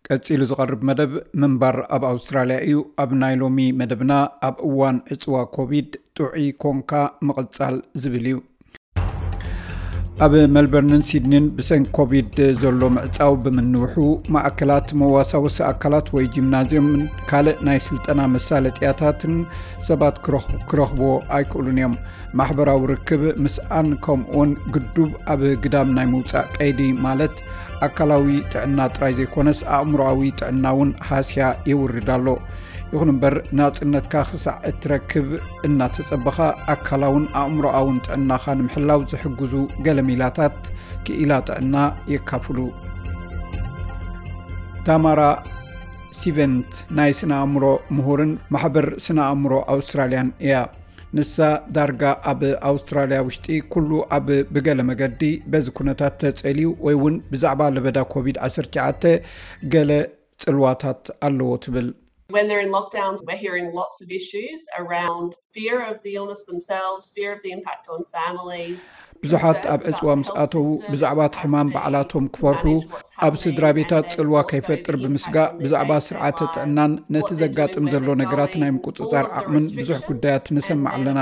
ቀጺሉ ዝቐርብ መደብ ምንባር ኣብ ኣውስትራልያ እዩ። ኣብ ናይ ሎሚ መደብና፣ ኣብ እዋን ዕጽዋ ኮቪድ ጥዑይ ኮንካ ምቕጻል ዝብል እዩ። ኣብ ሜልበርንን ሲድኒን ብሰንኪ ኮቪድ ዘሎ ምዕጻው ብምንውሑ፣ ማእከላት መዋሳወሲ ኣካላት ወይ ጂምናዝዮምን ካልእ ናይ ስልጠና መሳለጥያታትን ሰባት ክረኽ-፣ ክረኽብዎ ኣይክእሉን እዮም። ማሕበራዊ ርክብ ምስኣን፣ ከምኡውን ግዱብ ኣብ ግዳም ናይ ምውጻእ ቀይዲ፣ ማለት ኣካላዊ ጥዕና ጥራይ ዘይኮነስ ኣእምሮኣዊ ጥዕና እውን ሃስያ የውርድ ኣሎ። ይኹን እምበር፣ ናጽነትካ ክሳዕ እትረክብ እናተጸበኻ፣ ኣካላውን ኣእምሮኣውን ጥዕናኻ ንምሕላው ዝሕግዙ ገለ ሜላታት ክኢላ ጥዕና የካፍሉ። ታማራ ሲቨንት ናይ ስነ ኣእምሮ ምሁርን ማሕበር ስነ ኣእምሮ ኣውስትራልያን እያ። ንሳ ዳርጋ ኣብ ኣውስትራልያ ውሽጢ ኩሉ ኣብ ብገለ መገዲ በዚ ኩነታት ተጸልዩ ወይ እውን ብዛዕባ ለበዳ ኮቪድ ዓሰርተ ትሽዓተ ገለ ጽልዋታት ኣለዎ ትብል። When they're in lockdowns, we're hearing lots of issues around fear of the illness themselves, fear of the impact on families. ብዙሓት ኣብ ዕጽዋ ምስ ኣተዉ ብዛዕባ እቲ ሕማም ባዕላቶም ክፈርሑ፣ ኣብ ስድራ ቤታት ጽልዋ ከይፈጥር ብምስጋእ፣ ብዛዕባ ስርዓተ ጥዕናን ነቲ ዘጋጥም ዘሎ ነገራት ናይ ምቁጽጻር ዓቕምን ብዙሕ ጉዳያት ንሰምዕ ኣለና።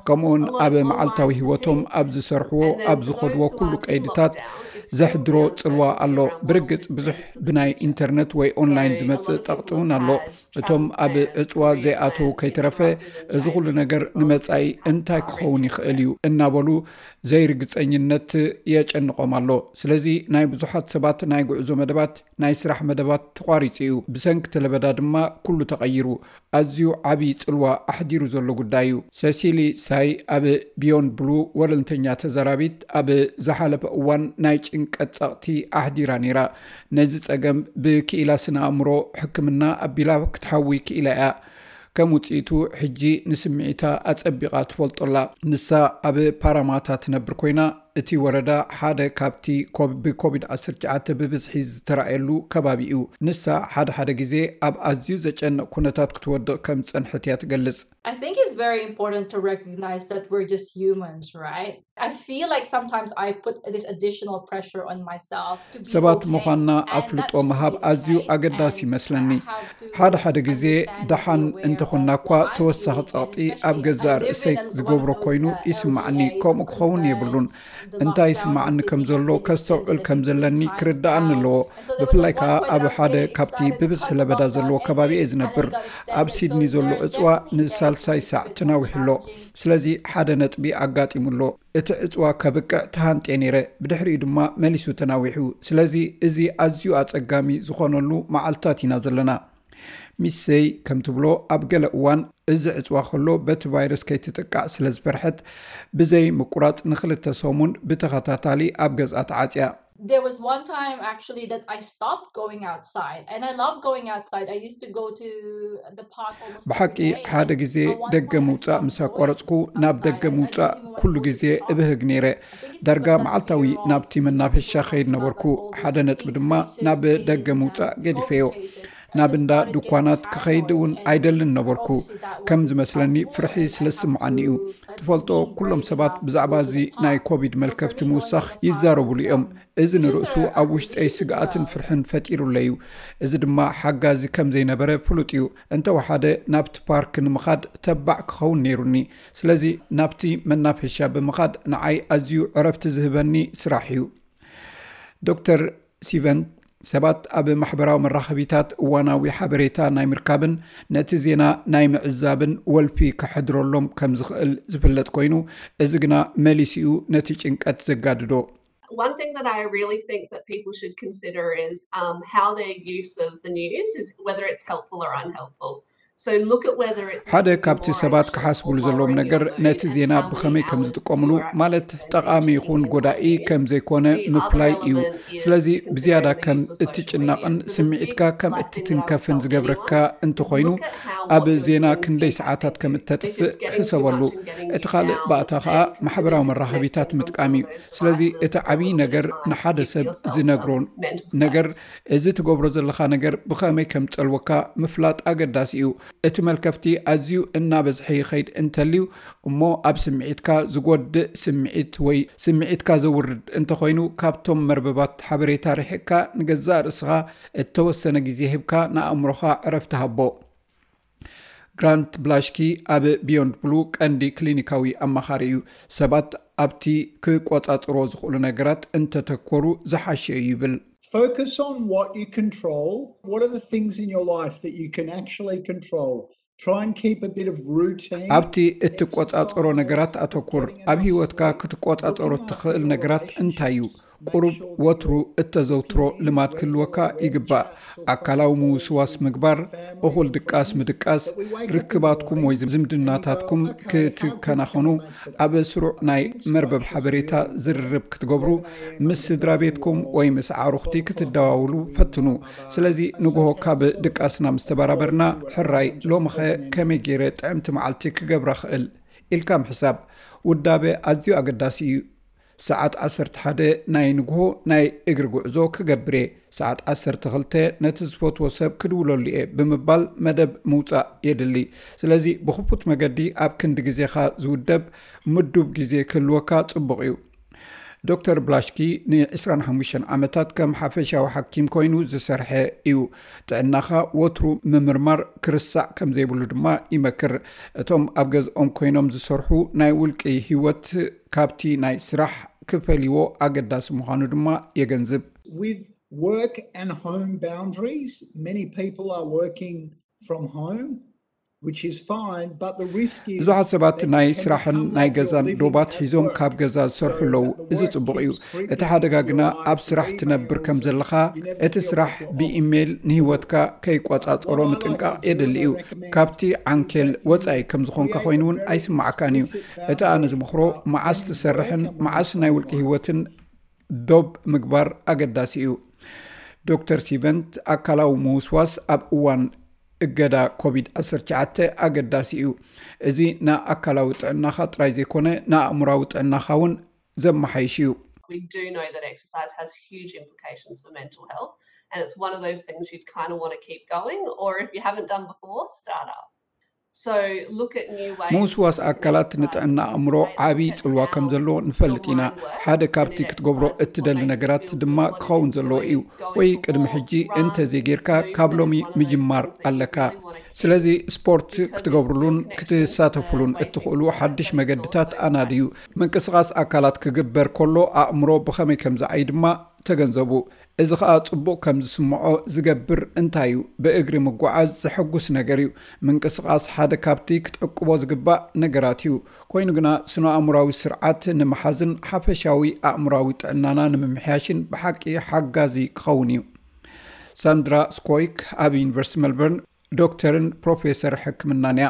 ከምኡውን ኣብ መዓልታዊ ህይወቶም፣ ኣብ ዝሰርሕዎ፣ ኣብ ዝኸድዎ ኩሉ ቀይድታት ዘሕድሮ ጽልዋ ኣሎ። ብርግጽ ብዙሕ ብናይ ኢንተርነት ወይ ኦንላይን ዝመጽእ ጠቕጢ እውን ኣሎ። እቶም ኣብ ዕጽዋ ዘይኣተዉ ከይተረፈ፣ እዚ ኩሉ ነገር ንመጻኢ እንታይ ክኸውን ይኽእል እዩ እናበሉ ዘይርግጸኝነት የጨንቖም ኣሎ። ስለዚ ናይ ብዙሓት ሰባት ናይ ጉዕዞ መደባት፣ ናይ ስራሕ መደባት ተቋሪጹ እዩ። ብሰንኪ እቲ ለበዳ ድማ ኩሉ ተቐይሩ። ኣዝዩ ዓቢ ጽልዋ ኣሕዲሩ ዘሎ ጉዳይ እዩ። ሰሲሊ ሳይ ኣብ ቢዮንድ ብሉ ወለንተኛ ተዛራቢት ኣብ ዝሓለፈ እዋን ናይ ጭንቀት ጸቕቲ ኣሕዲራ ነይራ። ነዚ ጸገም ብክኢላ ስነ ኣእምሮ ሕክምና ኣቢላ ክትሓዊ ክኢላ እያ። ከም ውጽኢቱ ሕጂ ንስምዒታ ኣጸቢቓ ትፈልጦ ኣላ። ንሳ ኣብ ፓራማታ ትነብር ኮይና፣ እቲ ወረዳ ሓደ ካብቲ ኮብ-፣ ብኮቪድ ዓሰርተ ትሽዓተ ብብዝሒ ዝተራእየሉ ከባቢ እዩ። ንሳ ሓደ ሓደ ግዜ ኣብ ኣዝዩ ዘጨንቕ ኩነታት ክትወድቕ ከም ዝጸንሐት እያ ትገልጽ። I think it's very important to recognize that we're just humans, right? I feel like sometimes I put this additional pressure on myself to be ሰባት okay, ምዃንና and that ኣፍልጦ shouldn't ምሃብ be the ኣዝዩ case. ኣገዳሲ And ይመስለኒ። I have to ሓደ ሓደ ግዜ understand and be ደሓን aware እንተኾንና of እኳ what I'm ተወሳኺ doing, ጸቕጢ especially ኣብ if ገዛእ I live ርእሰይ in one of ዝገብሮ those, ኮይኑ uh, ይስማዓኒ። areas ከምኡ ክኸውን concerned, የብሉን። the እንታይ lockdowns ይስማዓኒ seem ከም to ዘሎ be extended ከስተውዕል at ከም different ዘለኒ times. ክርዳኣኒ Um, ኣለዎ። and so there was, ብፍላይ like, ከኣ one point ኣብ I was ሓደ getting ካብቲ excited ብብዝሒ about ለበዳ the ዘለዎ lockdown, ከባቢ and እየ then it got ዝነብር። extended. ኣብ So ሲድኒ ዘሎ during ዕጽዋ this, ንሳልሳይ ሳዕ ተናዊሑ ኣሎ። ስለዚ ሓደ ነጥቢ ኣጋጢሙ ኣሎ። እቲ ዕጽዋ ከብቅዕ ተሃንጥየ ነይረ፣ ብድሕሪኡ ድማ መሊሱ ተናዊሑ። ስለዚ እዚ ኣዝዩ ኣጸጋሚ ዝኾነሉ መዓልታት ኢና ዘለና። ሚስ ሰይ ከም ትብሎ፣ ኣብ ገለ እዋን እዚ ዕጽዋ ከሎ በቲ ቫይረስ ከይትጥቃዕ ስለ ዝፈርሐት፣ ብዘይ ምቁራጽ ንኽልተ ሰሙን ብተኸታታሊ ኣብ ገዝኣ ተዓጽያ። There was one time actually that I stopped going outside, and I love going outside. I used to go to the park almost every ብሓቂ day. ሓደ ግዜ ደገ ምውጻእ ምስ ኣቋረጽኩ፣ ናብ ደገ ምውጻእ ኩሉ ግዜ እብህግ ነይረ። ዳርጋ መዓልታዊ ናብቲ መናፈሻ ኸይድ ነበርኩ። ሓደ ነጥቢ ድማ ናብ ደገ ምውጻእ ገዲፈዮ። ናብ እንዳ ድኳናት ክኸይድ እውን ኣይደልን ነበርኩ። ከም ዝመስለኒ ፍርሒ ስለ ዝስምዓኒ እዩ። ትፈልጦ፣ ኩሎም ሰባት ብዛዕባ እዚ ናይ ኮቪድ መልከፍቲ ምውሳኽ ይዛረቡሉ እዮም። እዚ ንርእሱ ኣብ ውሽጠይ ስግኣትን ፍርሕን ፈጢሩለይ እዩ። እዚ ድማ ሓጋዚ ከም ዘይነበረ ፍሉጥ እዩ። እንተወሓደ ናብቲ ፓርክ ንምኻድ ተባዕ ክኸውን ነይሩኒ። ስለዚ ናብቲ መናፈሻ ብምኻድ ንዓይ ኣዝዩ ዕረፍቲ ዝህበኒ ስራሕ እዩ። ዶክተር ሲቨን፣ ሰባት ኣብ ማሕበራዊ መራኸቢታት እዋናዊ ሓበሬታ ናይ ምርካብን ነቲ ዜና ናይ ምዕዛብን ወልፊ ከሕድረሎም ከም ዝኽእል ዝፍለጥ ኮይኑ፣ እዚ ግና መሊሱ'ዩ ነቲ ጭንቀት ዘጋድዶ። One thing that I really think that people should consider is um, how their use of the news is, whether it's helpful or unhelpful. So look at whether it's ሓደ making you ካብቲ more ሰባት anxious ክሓስብሉ or ዘለዎም lowering ነገር your mood ነቲ and ዜና how many ብኸመይ ከም hours ዝጥቀምሉ፣ you are ማለት actually ጠቓሚ spending ይኹን on ጎዳኢ it. ከም ዘይኮነ The other ምፍላይ እዩ። element is ስለዚ ብዝያዳ considering the ከም use of እትጭነቕን social media. ስምዒትካ ከም Last thing that I would እትትንከፍን tell ዝገብረካ anyone, እንተኾይኑ፣ look at how ኣብ what you're ዜና doing is ክንደይ being ሰዓታት ከም addictive. If እተጥፍእ it's getting too ሕሰበሉ። much and getting you እቲ ካልእ down, ባእታ ኸኣ then ማሕበራዊ consider መራኸቢታት disconnecting ምጥቃም እዩ። from those ስለዚ devices እቲ for a ዓብዪ little bit ነገር of time to ንሓደ give ሰብ yourself ዝነግሮ some mental ነገር፣ space. እዚ ትገብሮ ዘለኻ ነገር ብኸመይ ከም ዝጸልወካ ምፍላጥ ኣገዳሲ እዩ። እቲ መልከፍቲ ኣዝዩ እናበዝሐ ይኸይድ እንተልዩ እሞ ኣብ ስምዒትካ ዝጎድእ ስምዒት ወይ ስምዒትካ ዘውርድ እንተኾይኑ ካብቶም መርበባት ሓበሬታ ርሒቕካ ንገዛእ ርእስኻ እተወሰነ ግዜ ሂብካ ንኣእምሮኻ ዕረፍቲ ሃቦ። ግራንት ብላሽኪ ኣብ ቢዮንድ ብሉ ቀንዲ ክሊኒካዊ ኣማኻሪ እዩ። ሰባት ኣብቲ ክቆጻጽሮ ዝኽእሉ ነገራት እንተተኮሩ ዝሓሸ እዩ ይብል። Focus on what you control. What are the things in your life that you can actually control? Try and keep a bit of routine. ኣብቲ እትቆጻጸሮ ነገራት ኣተኩር። ኣብ ህይወትካ ክትቆጻጸሮ እትኽእል ነገራት እንታይ እዩ? ቁሩብ ወትሩ እተዘውትሮ ልማድ ክህልወካ ይግባእ። ኣካላዊ ምውስዋስ ምግባር፣ እኹል ድቃስ ምድቃስ፣ ርክባትኩም ወይ ዝምድናታትኩም ክትከናኸኑ፣ ኣብ ስሩዕ ናይ መርበብ ሓበሬታ ዝርርብ ክትገብሩ፣ ምስ ስድራ ቤትኩም ወይ ምስ ኣዕሩኽቲ ክትደዋውሉ ፈትኑ። ስለዚ ንግሆ ካብ ድቃስና ምስ ተበራበርና ሕራይ ሎምኸ ከመይ ገይረ ጥዕምቲ መዓልቲ ክገብራ ኽእል ኢልካ ምሕሳብ። ውዳበ ኣዝዩ ኣገዳሲ እዩ። ሰዓት ዓሰርተ ሓደ ናይ ንግሆ ናይ እግሪ ጉዕዞ ክገብር እየ፣ ሰዓት ዓሰርተ ክልተ ነቲ ዝፈትዎ ሰብ ክድውለሉ እየ ብምባል መደብ ምውጻእ የድሊ። ስለዚ ብኽፉት መገዲ ኣብ ክንዲ ግዜኻ ዝውደብ ምዱብ ግዜ ክህልወካ ጽቡቕ እዩ። ዶክተር ብላሽኪ ን25 ዓመታት ከም ሓፈሻዊ ሓኪም ኮይኑ ዝሰርሐ እዩ። ጥዕናኻ ወትሩ ምምርማር ክርሳዕ ከም ዘይብሉ ድማ ይመክር። እቶም ኣብ ገዝኦም ኮይኖም ዝሰርሑ ናይ ውልቂ ህይወት ካብቲ ናይ ስራሕ ክፈልይዎ ኣገዳሲ ምዃኑ ድማ የገንዝብ። With work and home boundaries, many people are working from home, which is fine, but the risk is ብዙሓት ሰባት ናይ ስራሕን ናይ ገዛን ዶባት ሒዞም ካብ ገዛ ዝሰርሑ ኣለዉ። እዚ ጽቡቕ እዩ። እቲ ሓደጋ ግና ኣብ ስራሕ ትነብር ከም ዘለኻ፣ እቲ ስራሕ ብኢሜይል ንህይወትካ ከይቆጻጸሮ ምጥንቃቕ የድሊ እዩ። ካብቲ ዓንኬል ወጻኢ ከም ዝኾንካ ኮይኑ እውን ኣይስማዓካን እዩ። እቲ ኣነ ዝምኽሮ መዓስ ትሰርሕን መዓስ ናይ ውልቂ ህይወትን ዶብ ምግባር ኣገዳሲ እዩ። ዶክተር ሲቨንት ኣካላዊ ምውስዋስ ኣብ እዋን እገዳ ኮቪድ ዓሰርተ ትሽዓተ ኣገዳሲ እዩ። እዚ ንኣካላዊ ጥዕናኻ ጥራይ ዘይኮነ ንኣእምራዊ ጥዕናኻ እውን ዘመሓይሽ እዩ። We do know that exercise has huge implications for mental health, and it's one of those things you'd kind of want to keep going, or if you haven't done before, start up. So look at new ways. ምውስዋስ ኣካላት ንጥዕና ኣእምሮ ዓብዪ ጽልዋ ከም ዘለዎ ንፈልጥ ኢና። ሓደ ካብቲ ክትገብሮ እትደሊ ነገራት ድማ ክኸውን ዘለዎ እዩ። ወይ ቅድሚ ሕጂ እንተዘይጌርካ ካብ ሎሚ ምጅማር ኣለካ። ስለዚ ስፖርት ክትገብሩሉን ክትሳተፉሉን እትኽእሉ ሓድሽ መገድታት ኣናድዩ። ምንቅስቓስ ኣካላት ክግበር ከሎ ኣእምሮ ብኸመይ ከም ዝዓይ ድማ ተገንዘቡ። እዚ ኸኣ ጽቡቕ ከም ዝስምዖ ዝገብር እንታይ እዩ? ብእግሪ ምጓዓዝ ዘሐጉስ ነገር እዩ። ምንቅስቓስ ሓደ ካብቲ ክትዕቅቦ ዝግባእ ነገራት እዩ። ኮይኑ ግና ስነ-ኣእምራዊ ስርዓት ንምሓዝን ሓፈሻዊ ኣእምራዊ ጥዕናና ንምምሕያሽን ብሓቂ ሓጋዚ ክኸውን እዩ። ሳንድራ ስኮይክ ኣብ ዩኒቨርሲቲ ሜልበርን ዶክተርን ፕሮፌሰር ሕክምናን እያ።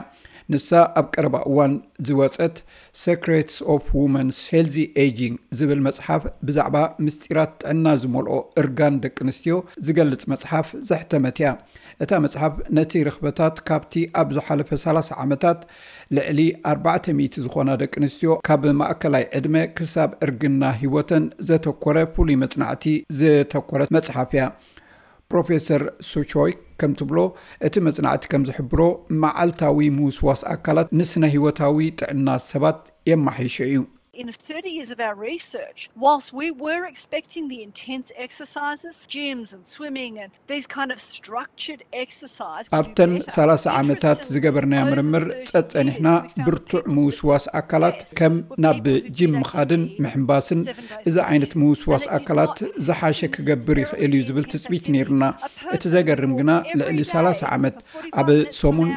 ንሳ ኣብ ቀረባ እዋን ዝወጸት Secrets of Women's Healthy Aging ዝብል መጽሓፍ ብዛዕባ ምስጢራት ጥዕና ዝመልኦ እርጋን ደቂ ኣንስትዮ ዝገልጽ መጽሓፍ ዘሕተመት እያ። እታ መጽሓፍ ነቲ ርኽበታት ካብቲ ኣብ ዝሓለፈ ሰላሳ ዓመታት ልዕሊ ኣርባዕተ ሚእቲ ዝኾና ደቂ ኣንስትዮ ካብ ማእከላይ ዕድመ ክሳብ እርግና ህይወተን ዘተኮረ ፍሉይ መጽናዕቲ ዘተኮረት መጽሓፍ እያ። ፕሮፌሰር ሱቾይ ከም ትብሎ፣ እቲ መጽናዕቲ ከም ዝሕብሮ መዓልታዊ ምውስዋስ ኣካላት ንስነ ህይወታዊ ጥዕና ሰባት የማሓይሾ እዩ። In thirty years of our research, whilst we were expecting the intense exercises, gyms and swimming and these kind of structured exercise, ኣብተን ሰላሳ ዓመታት ዝገበርናዮ ምርምር ጸጸኒሕና ብርቱዕ ምውስዋስ ኣካላት ከም ናብ ጂም ምኻድን ምሕንባስን እዚ ዓይነት ምውስዋስ ኣካላት ዝሓሸ ክገብር ይኽእል እዩ ዝብል ትጽቢት ነይሩና። እቲ ዘገርም ግና ልዕሊ ሰላሳ ዓመት ኣብ ሰሙን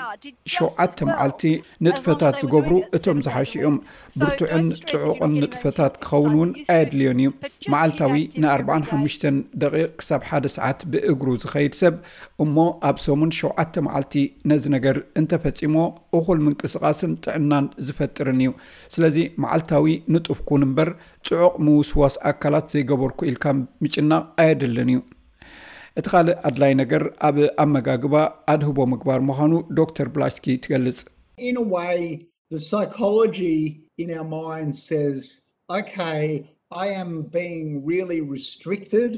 ሸውዓተ መዓልቲ ንጥፈታት ዝገብሩ እቶም ዝሓሹ እዮም። ብርቱዕን ጽዑቕን ንጥፈታት ክኸውን እውን ኣየድልዮን እዩ። መዓልታዊ ን45 ደቂቕ ክሳብ ሓደ ሰዓት ብእግሩ ዝኸይድ ሰብ እሞ ኣብ ሰሙን ሸውዓተ መዓልቲ ነዚ ነገር እንተፈጺሞ እኹል ምንቅስቓስን ጥዕናን ዝፈጥርን እዩ። ስለዚ መዓልታዊ ንጡፍ ኩን እምበር ጽዑቕ ምውስዋስ ኣካላት ዘይገበርኩ ኢልካ ምጭናቕ ኣየድልን እዩ። እቲ ካልእ ኣድላይ ነገር ኣብ ኣመጋግባ ኣድህቦ ምግባር ምዃኑ ዶክተር ብላሽኪ ትገልጽ። In a way, the psychology in our mind says, okay, I am being really restricted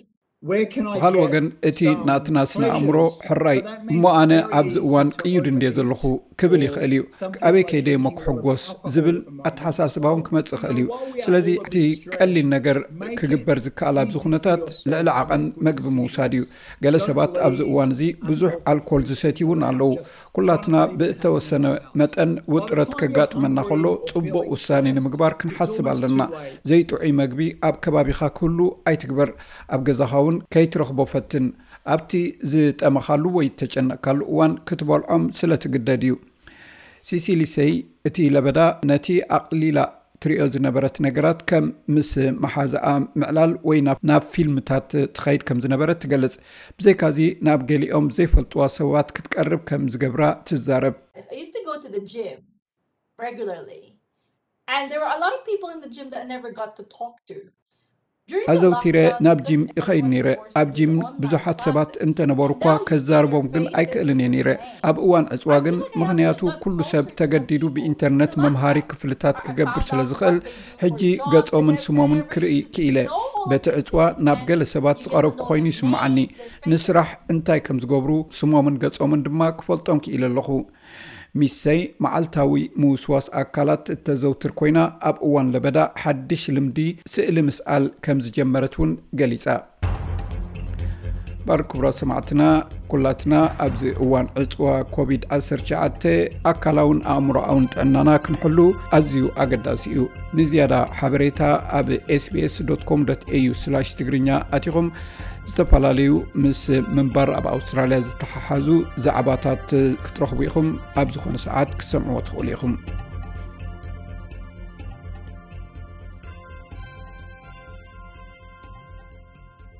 ብኻልእ ወገን እቲ ናትና ስነ ኣእምሮ ሕራይ እሞ ኣነ ኣብዚ እዋን ቅዩድ እንድየ ዘለኹ ክብል ይኽእል እዩ። ኣበይ ከይደ እሞ ክሕጎስ ዝብል ኣተሓሳስባ እውን ክመጽእ ይኽእል እዩ። ስለዚ እቲ ቀሊል ነገር ክግበር ዝከኣል ኣብዚ ኩነታት ልዕሊ ዓቐን መግቢ ምውሳድ እዩ። ገለ ሰባት ኣብዚ እዋን እዚ ብዙሕ ኣልኮል ዝሰትዩ እውን ኣለዉ። ኩላትና ብእተወሰነ መጠን ውጥረት ከጋጥመና ከሎ ጽቡቕ ውሳኔ ንምግባር ክንሓስብ ኣለና። ዘይጥዑይ መግቢ ኣብ ከባቢኻ ክህሉ ኣይትግበር። ኣብ ገዛኻ እውን ከይትረኽቦ ፈትን። ኣብቲ ዝጠመኻሉ ወይ እተጨነቕካሉ እዋን ክትበልዖም ስለ ትግደድ እዩ። ሲሲሊ ሰይ እቲ ለበዳ ነቲ ኣቕሊላ ትሪኦ ዝነበረት ነገራት ከም ምስ መሓዛኣ ምዕላል ወይ ናብ ፊልምታት ትኸይድ ከም ዝነበረት ትገልጽ። ብዘይካዚ ናብ ገሊኦም ዘይፈልጥዋ ሰባት ክትቀርብ ከም ዝገብራ ትዛረብ። I used to go to the gym regularly, and there were a lot of people in the gym that I never got to talk to. ኣዘውቲረ ናብ ጂም ይኸይድ ነይረ። ኣብ ጂም ብዙሓት ሰባት እንተነበሩ እኳ ከዛርቦም ግን ኣይክእልን እየ ነይረ። ኣብ እዋን ዕፅዋ ግን ምኽንያቱ ኩሉ ሰብ ተገዲዱ ብኢንተርነት መምሃሪ ክፍልታት ክገብር ስለ ዝኽእል ሕጂ ገጾምን ስሞምን ክርኢ ክኢለ። በቲ ዕፅዋ ናብ ገለ ሰባት ዝቐረብኩ ኮይኑ ይስምዓኒ። ንስራሕ እንታይ ከም ዝገብሩ ስሞምን ገጾምን ድማ ክፈልጦም ክኢለ ኣለኹ። ሚሰይ መዓልታዊ ምውስዋስ ኣካላት እተዘውትር ኮይና ኣብ እዋን ለበዳ ሓድሽ ልምዲ ስእሊ ምስኣል ከም ዝጀመረት እውን ገሊጻ። ባር ክቡራት ሰማዕትና ኩላትና ኣብዚ እዋን ዕፅዋ ኮቪድ ዓሰርተ ትሽዓተ ኣካላውን ኣእምሮኣውን ጥዕናና ክንሕሉ ኣዝዩ ኣገዳሲ እዩ። ንዝያዳ ሓበሬታ ኣብ sbs.com.au/ትግርኛ ኣቲኹም ዝተፈላለዩ ምስ ምንባር ኣብ ኣውስትራልያ ዝተሓሓዙ ዛዕባታት ክትረኽቡ ኢኹም። ኣብ ዝኾነ ሰዓት ክትሰምዕዎ ትኽእሉ ኢኹም።